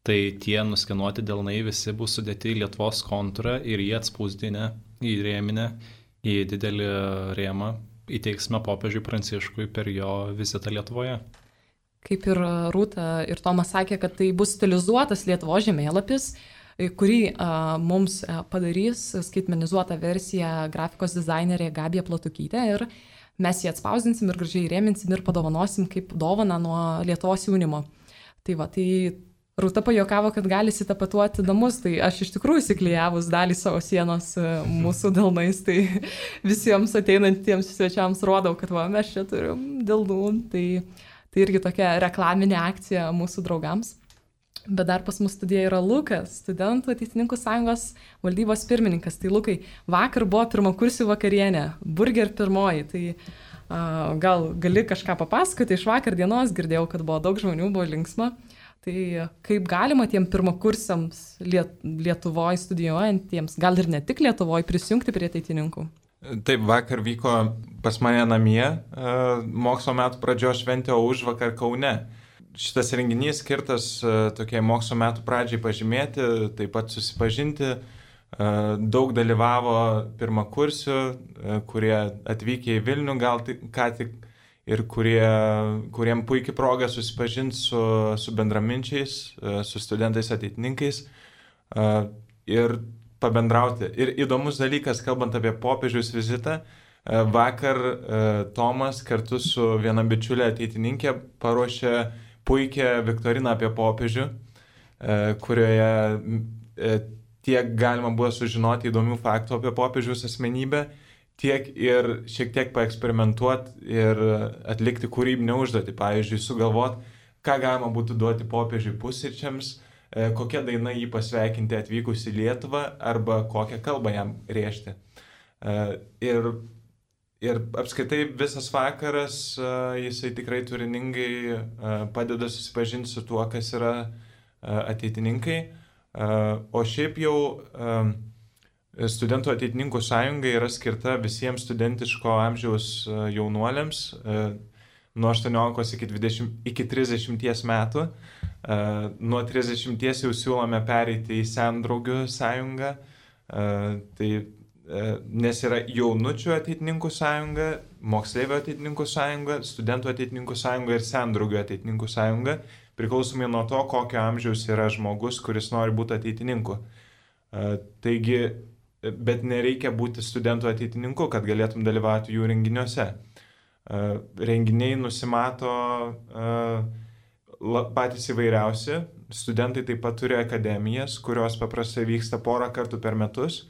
Tai tie nuskenuoti delnai visi bus sudėti į Lietuvos kontūrą ir jie atspausdinę, įrėminę į didelį rėmą įteiksime popiežiui Pranciškui per jo vizitą Lietuvoje. Kaip ir Rūta ir Tomas sakė, kad tai bus stilizuotas Lietuvos žemėlapis, kurį a, mums padarys skaitmenizuotą versiją grafikos dizainerė Gabija Platukytė ir mes jį atspausdinsim ir gražiai rėminsim ir padovanosim kaip dovaną nuo Lietuvos jaunimo. Tai va, tai Rūta pajokavo, kad gali įsitapetuoti namus, tai aš iš tikrųjų įsiklijavus dalį savo sienos mūsų delnais, tai visiems ateinantiems svečiams rodau, kad va, mes čia turim delnų, tai Tai irgi tokia reklaminė akcija mūsų draugams. Bet dar pas mus studijoje yra Lukas, studentų ateitininkų sąjungos valdybos pirmininkas. Tai Lukai, vakar buvo pirmakursių vakarienė, burger pirmoji. Tai uh, gal gali kažką papasakoti iš vakar dienos, girdėjau, kad buvo daug žmonių, buvo linksma. Tai kaip galima tiem pirmakursiams Liet- Lietuvoje studijuojantiems, gal ir ne tik Lietuvoje, prisijungti prie ateitininkų? Taip, vakar vyko pas mane namie mokslo metų pradžios šventė, o užvakar Kaune. Šitas renginys skirtas tokiai mokslo metų pradžiai pažymėti, taip pat susipažinti. Daug dalyvavo pirmakursių, kurie atvykę į Vilnių gal tik, ką tik ir kurie, kuriem puikiai proga susipažinti su, su bendraminčiais, su studentais ateitininkais. Ir pabendrauti. Ir įdomus dalykas, kalbant apie popiežiaus vizitą, vakar Tomas kartu su viena bičiulė ateitininkė paruošė puikią viktoriną apie popiežių, kurioje tiek galima buvo sužinoti įdomių faktų apie popiežiaus asmenybę, tiek ir šiek tiek paeksperimentuoti ir atlikti kūrybinę užduotį. Pavyzdžiui, sugalvoti, ką galima būtų duoti popiežiui pusryčiams, kokia daina jį pasveikinti atvykus į Lietuvą arba kokią kalbą jam rėžti. Ir ir apskaitai visas vakaras jisai tikrai turiningai padeda susipažinti su tuo, kas yra ateitininkai. O šiaip jau Studentų ateitininkų sąjunga yra skirta visiems studentiško amžiaus jaunuoliams nuo aštuoniolikos iki dvidešimties iki trisdešimties metų. Nuo trisdešimties jau siūlome pereiti į sendraugių sąjungą. Tai, nes yra jaunučių ateitininkų sąjunga, moksleivių ateitininkų sąjunga, studentų ateitininkų sąjunga ir sendraugių ateitininkų sąjunga, priklausomai nuo to, kokio amžiaus yra žmogus, kuris nori būti ateitininku. Taigi, bet nereikia būti studentų ateitininku, kad galėtum dalyvauti jų renginiuose. Renginiai nusimato patys įvairiausi. Studentai taip pat turi akademijas, kurios paprastai vyksta porą kartų per metus.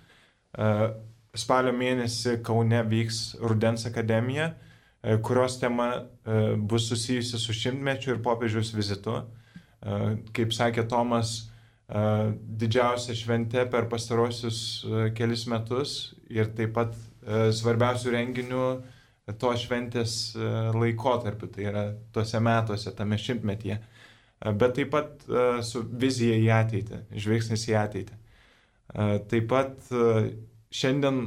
Spalio mėnesį Kaune vyks Rudens akademija, kurios tema bus susijusi su šimtmečiu ir popiežiaus vizitu. Kaip sakė Tomas, didžiausia šventė per pastarosius kelis metus ir taip pat svarbiausių renginių to šventės laikotarpiu, tai yra tuose metuose, tame šimtmetyje. Bet taip pat su vizija į ateitį, žvilgsnis į ateitį. Taip pat šiandien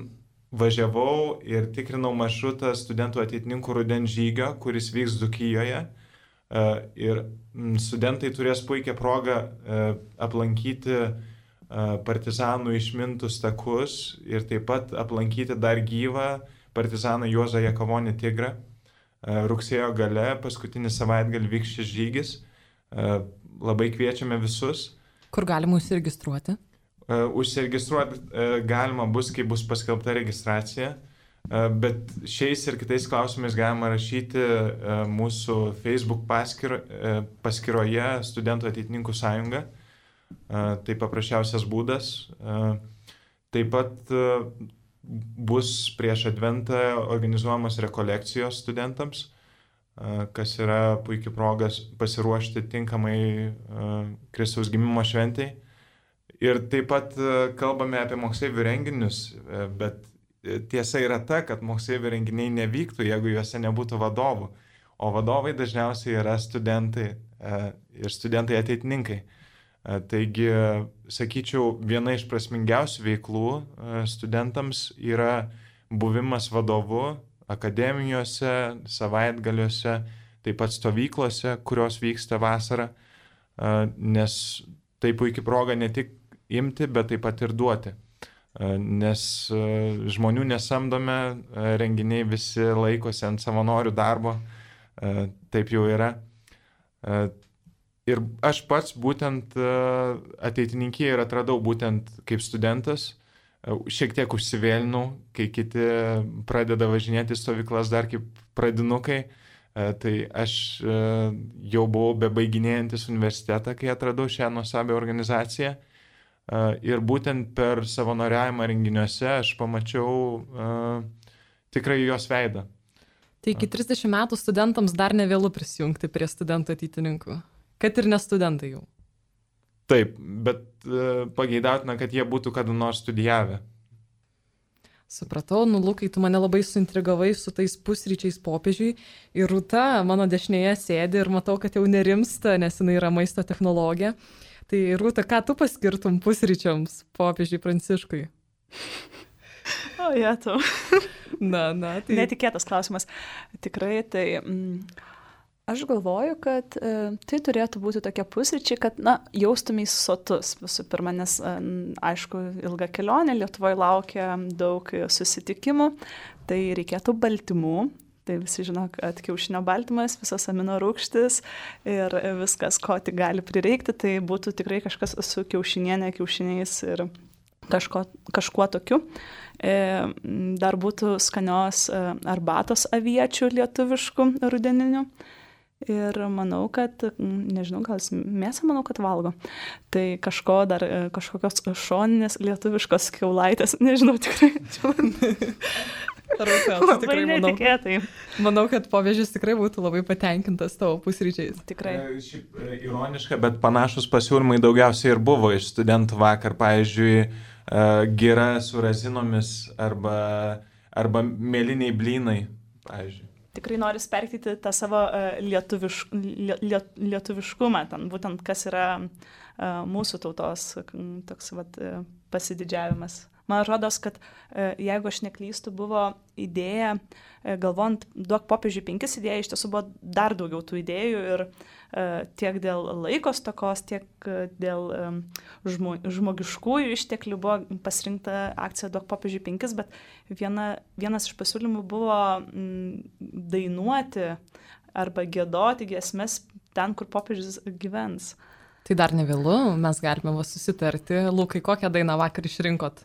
važiavau ir tikrinau maršrutą studentų ateitininkų rudens žygio, kuris vyks Dzūkijoje. Ir studentai turės puikią progą aplankyti partizanų išmintus takus ir taip pat aplankyti dar gyvą partizaną Juozą Jakavonį Tigrą. Rugsėjo gale, paskutinį savaitgalį vyks šis žygis. Labai kviečiame visus. Kur galima užsiregistruoti? Užsiregistruoti galima bus, kai bus paskelbta registracija. Bet šiais ir kitais klausimais galima rašyti mūsų Facebook paskyro, paskyroje Studentų ateitininkų sąjunga. Tai paprasčiausias būdas. Taip pat bus prieš Adventą organizuojamos rekolekcijos studentams, kas yra puikia progas pasiruošti tinkamai Kristaus gimimo šventai. Ir taip pat kalbame apie moksleivių renginius, bet tiesa yra ta, kad moksleivių renginiai nevyktų, jeigu juose nebūtų vadovų. O vadovai dažniausiai yra studentai ir studentai ateitininkai. Taigi, sakyčiau, viena iš prasmingiausių veiklų studentams yra buvimas vadovu akademijose, savaitgaliuose, taip pat stovyklose, kurios vyksta vasarą, nes tai puikia proga ne tik imti, bet taip pat ir duoti. Nes žmonių nesamdome, renginiai visi laikosi ant savanorių darbo, taip jau yra. Ir aš pats būtent ateitininkėje ir atradau būtent kaip studentas, šiek tiek užsivėlinau, kai kiti pradeda važinėti stovyklas dar kaip pradinukai, tai aš jau buvau bebaiginėjantis universitetą, kai atradau šią nuostabią organizaciją. Ir būtent per savanoriavimą renginiuose aš pamačiau uh, tikrai jos veidą. Tai iki trisdešimt metų studentams dar nevėlu prisijungti prie studentų ateitininkų, kad ir ne studentai jau. Taip, bet uh, pageidautina, kad jie būtų kada nors studijavę. Supratau, nu Lukai, tu mane labai suintrigavai su tais pusryčiais popiežiui ir Rūta mano dešinėje sėdi ir matau, kad jau nerimsta, nes jinai yra maisto technologė. Tai Rūta, ką tu paskirtum pusryčiams popiežiui Pranciškui? O, jie tu. Na, na, tai... Netikėtas klausimas. Tikrai, tai mm, aš galvoju, kad e, tai turėtų būti tokie pusryčiai, kad, na, jaustumės sotus visų pirma, nes, e, aišku, ilga kelionė, Lietuvoje laukia daug susitikimų, tai reikėtų baltymų. Tai visi žino, kad kiaušinio baltymas, visas amino rūgštis ir viskas, ko tik gali prireikti, tai būtų tikrai kažkas su kiaušinienė, kiaušiniais ir kažko, kažkuo tokiu. Dar būtų skanios arbatos aviečių lietuviškų rudeninių. Ir manau, kad, nežinau, gal mėsą manau, kad valgo. Tai kažko dar, kažkokios šoninės lietuviškos kiaulaitės, nežinau tikrai. Rūta, labai netikėtai. Manau, kad popiežius tikrai būtų labai patenkintas tavo pusryčiais. Tikrai. Šiaip ironiška, bet panašus pasiūlymai daugiausiai ir buvo iš studentų vakar. Pavyzdžiui, gira su razinomis arba arba mėlyniai blynai, pavyzdžiui. Tikrai noriu perteikti tą savo uh, lietuviš, liet, lietuviškumą, ten būtent kas yra uh, mūsų tautos toks vat, uh, pasididžiavimas. Man rodos, kad uh, jeigu aš neklystu, buvo idėja, uh, galvojant, duok popiežiui penkis idėją, iš tiesų buvo dar daugiau tų idėjų ir uh, tiek dėl laiko stokos, tiek uh, dėl um, žmo, žmogiškųjų išteklių buvo pasirinkta akcija duok popiežiui penkis, bet viena, vienas iš pasiūlymų buvo mm, dainuoti arba giedoti giesmes ten, kur popiežius gyvens. Tai dar ne vėlu, mes galime va susitarti. Lukai, kokią dainą vakar išrinkot,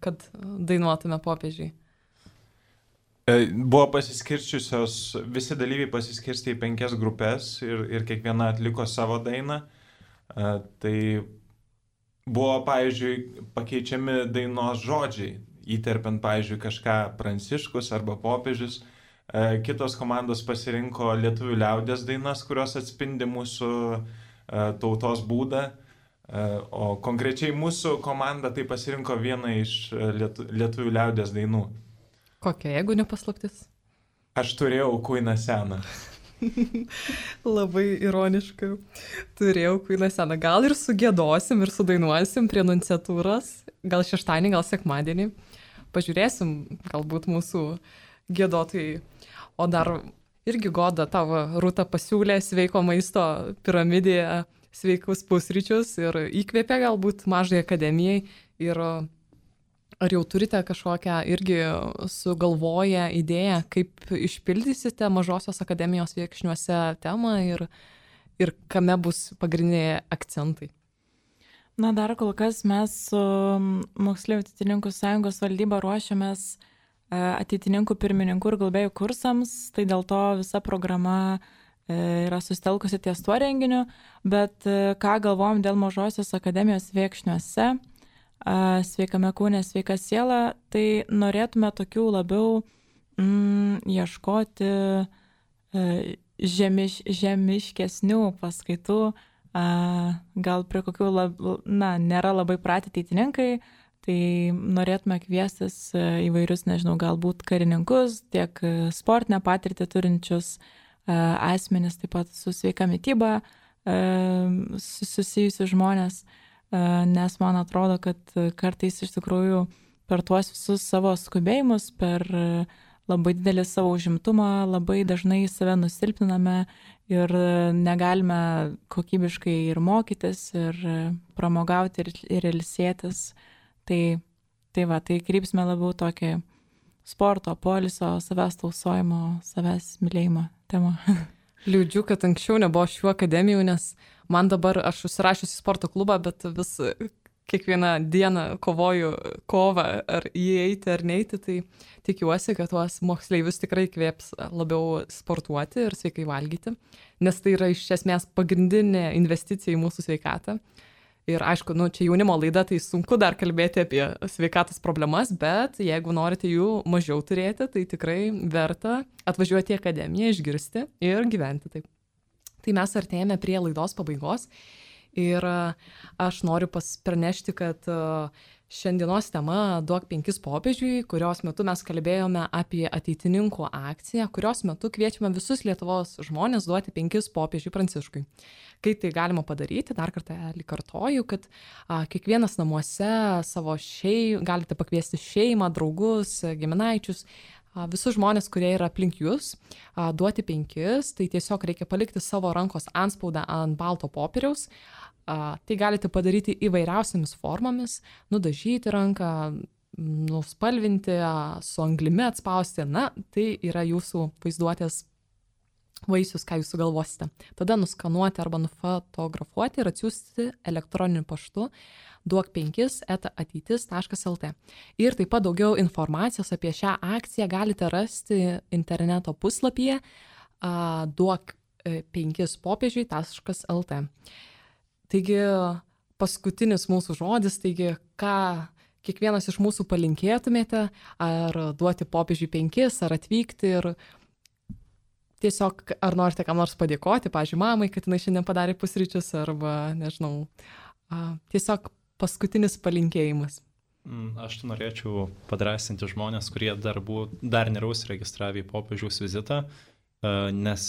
kad dainuotume popiežiui? Buvo pasiskirčiusios, visi dalyviai pasiskirstė į penkias grupės ir, ir kiekviena atliko savo dainą. Tai buvo, pavyzdžiui, pakeičiami dainos žodžiai, įterpiant, pavyzdžiui, kažką Pranciškus arba popiežius. Kitos komandos pasirinko lietuvių liaudies dainas, kurios atspindi mūsų tautos būdą, o konkrečiai mūsų komanda tai pasirinko vieną iš lietu, lietuvių liaudies dainų. Kokia, jeigu nepaslaptis? Aš turėjau kuiną seną. Labai ironiškai. Turėjau kuiną seną. Gal ir sugėdosim ir sudainuosim prie nunciatūros. Gal šeštadienį, gal sekmadienį. Pažiūrėsim, galbūt mūsų gėdotojai. O dar irgi Goda, tavo Rūta pasiūlė sveiko maisto piramidėje sveikus pusryčius ir įkvėpė galbūt mažai akademijai. Ir ar jau turite kažkokią irgi sugalvoję idėją, kaip išpildysite mažosios akademijos viekšniuose temą ir, ir kame bus pagrindiniai akcentai? Na, dar kol kas mes su Moksleivių ateitininkų sąjungos valdyba ruošiamės ateitininkų pirmininkų ir globėjų kursams, tai dėl to visa programa yra susitelkusi ties tuo renginiu, bet ką galvojam dėl mažosios akademijos viekšniuose, sveikame kūne, sveika siela, tai norėtume tokių labiau mm, ieškoti žemiš, žemiškesnių paskaitų, gal prie kokių, lab, na, nėra labai pratę ateitininkai, tai norėtume kviestis įvairius, nežinau, galbūt karininkus, tiek sportinę patirtį turinčius asmenis, taip pat su sveika mityba susijusius žmonės, nes man atrodo, kad kartais iš tikrųjų per tuos visus savo skubėjimus, per labai didelį savo užimtumą, labai dažnai save nusilpniname ir negalime kokybiškai ir mokytis, ir pramogauti, ir, ir ilsėtis. Tai, tai va, tai krypsime labiau tokį sporto, poilsio, savęs tausojimo, savęs mylėjimo temą. Liūdžiu, kad anksčiau nebuvo šių akademijų, nes man dabar, aš užsirašiusi į sporto klubą, bet vis kiekvieną dieną kovoju kovą, ar įeiti ar neiti, tai tikiuosi, kad tuos moksleivius tikrai kvėps labiau sportuoti ir sveikai valgyti, nes tai yra iš esmės pagrindinė investicija į mūsų sveikatą. Ir aišku, nu, čia jaunimo laida, tai sunku dar kalbėti apie sveikatos problemas, bet jeigu norite jų mažiau turėti, tai tikrai verta atvažiuoti į akademiją, išgirsti ir gyventi taip. Tai mes artėjame prie laidos pabaigos ir aš noriu pranešti, kad šiandienos tema duok penkis popiežiui, kurios metu mes kalbėjome apie ateitininkų akciją, kurios metu kviečiame visus Lietuvos žmonės duoti penkis popiežiui Pranciškui. Kai tai galima padaryti, dar kartą kartoju, kad a, kiekvienas namuose savo šei, galite pakviesti šeimą, draugus, giminaičius, a, visus žmonės, kurie yra aplink jūs, a, duoti penkis, tai tiesiog reikia palikti savo rankos antspaudą ant balto popieriaus. A, tai galite padaryti įvairiausiamis formomis, nudažyti ranką, nuspalvinti, a, su anglimi atspausti, na, tai yra jūsų vaizduotės vaisius, ką jūs sugalvosite. Tada nuskanuoti arba nufotografuoti ir atsiųsti elektroniniu paštu duok penkis eta ateitis taškas lt. Ir taip pat daugiau informacijos apie šią akciją galite rasti interneto puslapyje duok penkis popiežiui taškas lt. Taigi, paskutinis mūsų žodis, taigi, ką kiekvienas iš mūsų palinkėtumėte, ar duoti popiežiui penkis, ar atvykti ir tiesiog, ar norite kam nors padėkoti, pavyzdžiui, mamai, kad jinai šiandien padarė pusryčius, arba, nežinau, tiesiog paskutinis palinkėjimas. Aš norėčiau padrasinti žmonės, kurie dar, buvo, dar nėra užsiregistravę į popiežiaus vizitą, nes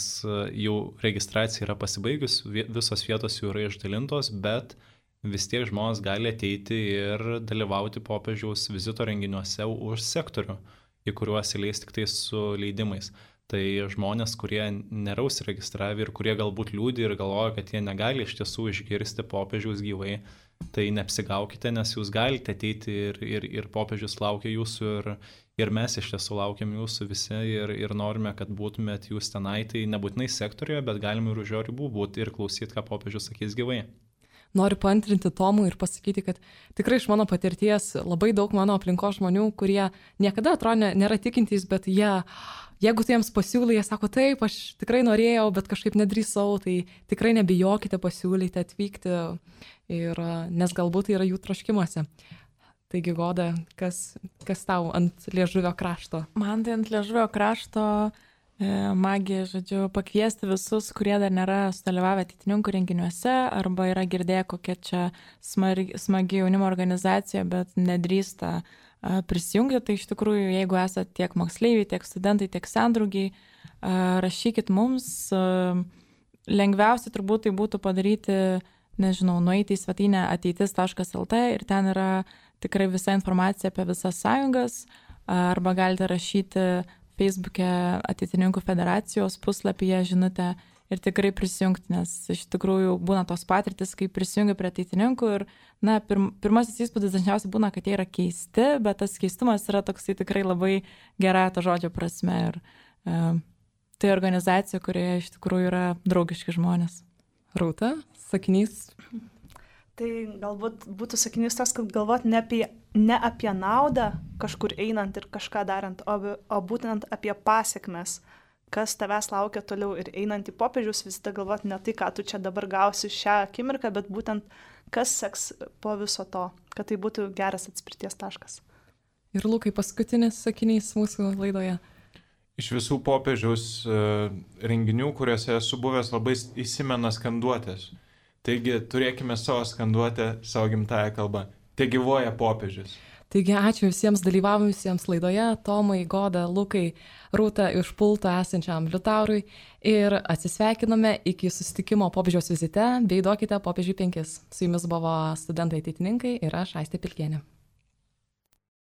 jau registracija yra pasibaigus, visos vietos jau yra išdalintos, bet vis tiek žmonės gali ateiti ir dalyvauti popiežiaus vizito renginiuose už sektorių, į kuriuos įleis tik tai su leidimais. Tai žmonės, kurie nėra užsiregistravę ir kurie galbūt liūdi ir galvoja, kad jie negali iš tiesų išgirsti popiežiaus gyvai, tai neapsigaukite, nes jūs galite ateiti ir, ir, ir popiežius laukia jūsų ir, ir mes iš tiesų laukiam jūsų visi ir, ir norime, kad būtumėt jūs tenai, tai nebūtinai sektorijoje, bet galime ir už jo ribų būti ir klausyti, ką popiežius sakys gyvai. Noriu paantrinti Tomui ir pasakyti, kad tikrai iš mano patirties labai daug mano aplinkos žmonių, kurie niekada atrodo nėra tikintys, bet jie, jeigu tu jiems pasiūlai, jie sako, taip, aš tikrai norėjau, bet kažkaip nedrįsau, tai tikrai nebijokite pasiūlyti atvykti, ir, nes galbūt tai yra jų troškimuose. Taigi, Goda, kas, kas tau ant liežuvio krašto? Man tai ant liežuvio krašto magija, žodžiu, pakviesti visus, kurie dar nėra sudalyvavę ateitininkų renginiuose arba yra girdėję kokia čia smagi, smagi jaunimo organizacija, bet nedrįsta prisijungti. Tai iš tikrųjų, jeigu esate tiek moksleiviai, tiek studentai, tiek sendraugiai, rašykit mums. Lengviausia turbūt tai būtų padaryti, nežinau, nueiti į svetainę ateitis taškas el tė ir ten yra tikrai visa informacija apie visas sąjungas, arba galite rašyti Facebook'e ateitininkų federacijos puslapyje žinutę ir tikrai prisijungti, nes iš tikrųjų būna tos patirtis, kai prisijungi prie ateitininkų ir, na, pirm, pirmasis įspūdis dažniausiai būna, kad jie yra keisti, bet tas keistumas yra toksai tikrai labai gera to žodžio prasme ir e, tai organizacija, kurioje iš tikrųjų yra draugiški žmonės. Rūta, sakinys? Tai galbūt būtų sakinys tas, kad galvot ne apie, ne apie naudą kažkur einant ir kažką darant, o, o būtent apie pasiekmes, kas tavęs laukia toliau ir einant į popiežiaus vizitą galvot ne tai, ką tu čia dabar gausi šią akimirką, bet būtent kas seks po viso to, kad tai būtų geras atspirties taškas. Ir Lukai, paskutinis sakinys mūsų laidoje. Iš visų popiežiaus uh, renginių, kuriuose esu buvęs, labai įsimena skanduotės. Taigi turėkime savo skanduotę, savo gimtąją kalbą. Te gyvuoja popiežius. Taigi ačiū visiems dalyvavusiems laidoje, Tomai, Goda, Lukai, Rūta iš pulto esančiam Liutaurui ir atsisveikiname iki susitikimo popiežiaus vizite bei duokite popiežiui penkis. Su jumis buvo studentai ateitininkai ir aš Aistė Pilkienė.